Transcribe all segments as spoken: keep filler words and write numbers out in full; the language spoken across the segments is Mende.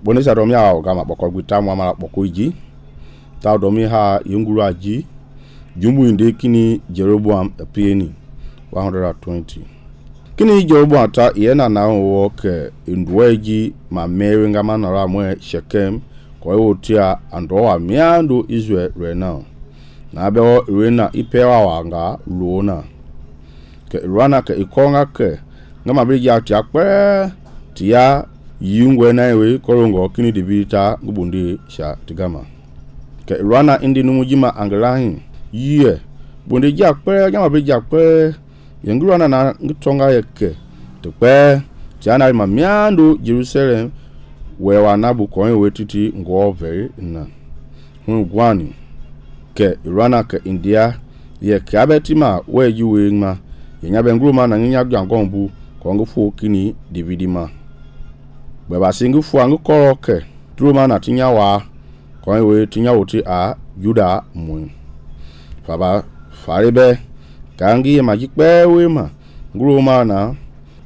boni sa domi ha gama boko gwita mu mala boko ji ta domi ha yunguru aji jumbu inde kini Jeroboam epieni one hundred twenty kini Jeroboam ta yena na wo ke ndweji ma mewe ngama na ra mwe Shekem ko yotia ando wa miando Israel rena na be o rena ipewa wanga luona ke rana ke ikonga ke ngama bi ya tia kpe tia yungwe na we korongo kini dibita ngubundi sha tigama ke rana indi numujima angelahin ye bundi ja kpe ngama bi ja kpe yenguru na na ngitonga yeke to kpe tia na ma miando Jerusalem we wa na bu ko we titi ngo very na hu gwani ke rana ke India ye kabetima we yuwe ma yenya benguru ma na nya gangombu ko ngufu kini dividima baba singu fu angu koroke truma na tinya wa ko we tinya woti a Juda mu baba farebe kangi majikpe we ma nguru ma na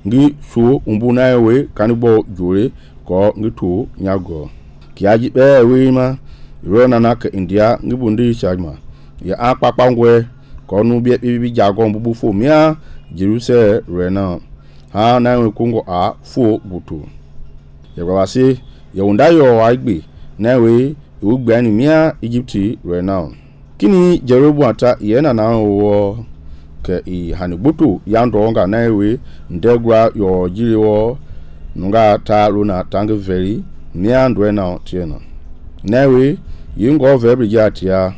ngi su umbu na we kanibo jure ko ngitu nyago kiaji be we ma rona na ke India ngibundi chama ya akpakpa ngwe ko nu bi bi jago mbubu fo mia Jerusalem rena ha na we kungo a fo butu ya bawasi ya undayo wa igbe na we ugbe ani mia Egypti rena kini Jeroboam ta yena na wo ke i hanibutu ya ndonga na we ndegwa yo jiriwo nunga ta luna tangi veri mia ndwena tiena na we yingo vebri jatia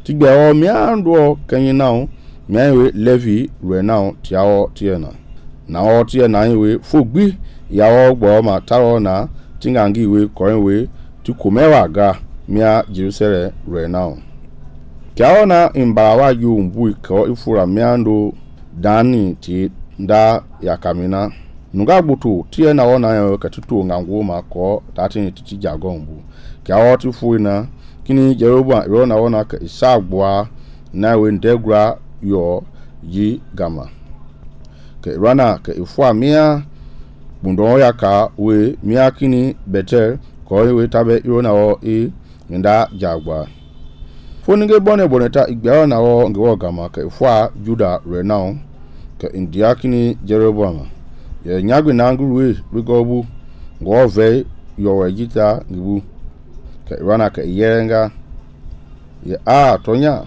tigbe o mia ndo kenyi now mia we Levi rena tiao tiena na o tiena we fogbi ya ogbo ma taro na tingangi we koren we ti komewa ga mia Jerusalem rena kiaona imbarawa yu mbu ko ifura miando dani ti nda ya kamina nunga butu tie na wona yo katutu ngangu ma ko tati ti jagombu kiawo ti fuina kini Jeroboam ro na wona ka isagboa na we ndegra yo yi gama ke rana ke ifua mia bundo ya ka we mia kini Betel ko we tabe ro na wo e nda jagba foninge bone boneta igba na wo ngewo gama ke ifua Juda rena ke India kini Jeroboam ye nyagwe na nguruwe bigobu ngo ve yo wejita ngibu ke rana ke yenga ye a tonya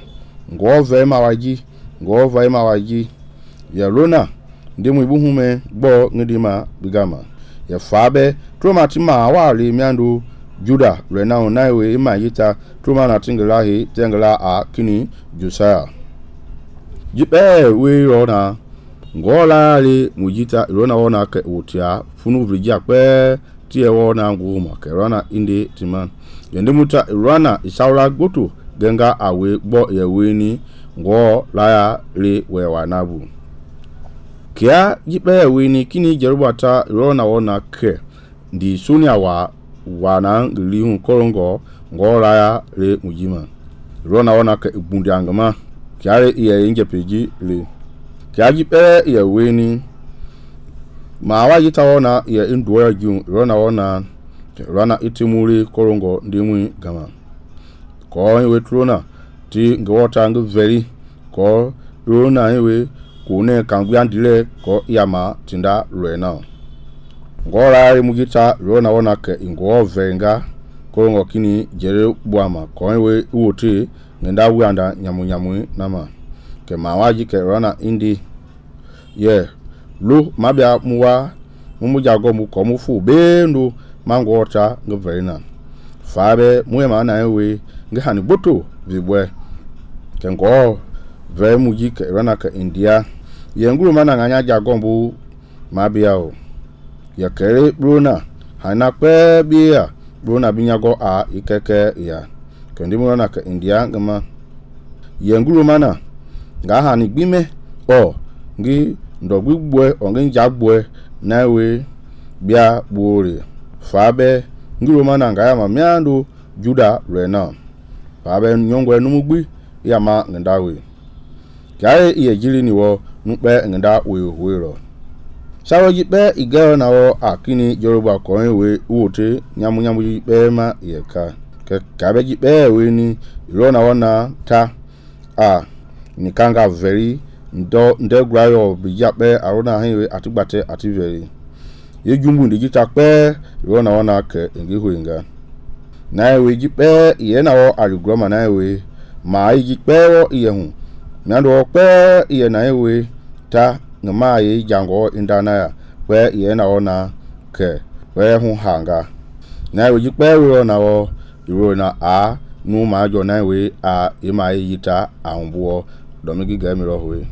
ngo ve mawaji ngo ve mawaji ye rona ndimu ibuhume gbo ngidima bigama ye fabe troma tima wali miandu Juda rena naiwe imayita troma na tinglahi tengla a kini Josiah jipe we rona ngola le mujita rona wona ke utia funu vrija pe tie wona nguma ke rona inde timan yende muta rona isaura goto genga awe gbo yeweni ngo laya le we wanabu kia jipe yeweni kini Jerubata rona wona ke ndi sunia wa wana ngilihun korongo ngo laya le mujima rona wona ke igbundi angama kiare iye inje peji le kiaji pe ya weni ma wa yita wona ya indwa ju rona wona rana itimuri korongo ndimwi gama ko we trona ti ngwota ngu veri ko rona we kune kangbi andile ko yama tinda rena ngora ri mugita rona wona ke ingwo venga korongo kini Jeroboam ko we wote ngenda wianda nyamu nyamu nama ke mawaji ke rana indi ye lo mabia muwa mumuja go mu ko mu fu bendo mangota ngoverina fabe muye mana we ngahani boto vibwe ke ngo ve muji ke rana ka India ye nguru mana nganya jagombu mabia o ya kere brona hana pe bia brona binyago a ikeke ya kendi mu rana ka India ngama ye nguru mana ngahani gbime o ngi ndogbugwe onge njagwe nawe bia bore fabe ngiro mana ngaya ma miando Juda rena fabe nyongwe numugbi ya ma ngendawe kae iye jiri niwo nukpe ngenda we huiro Sawo ji pe igero na wo akini Yoruba koin we wote nyamu nyamu ji pe ma yeka ke kabe ji pe we ni ro na wona ta a ni kanga very ndo nde grayo bi ja pe arona hin we atigbate ati very ye jumbu ndi ji ta pe ro na wona ke ngi huinga na we ji pe ye na wo arigroma na we ma ji pe wo ye hu na do pe ye na we ta ngama ye jango indana ya pe ye na ona ke we hu hanga na we ji pe we na wo ro na a nu ma jo na we a e ma yita a humbo do mi gi ga mi ro we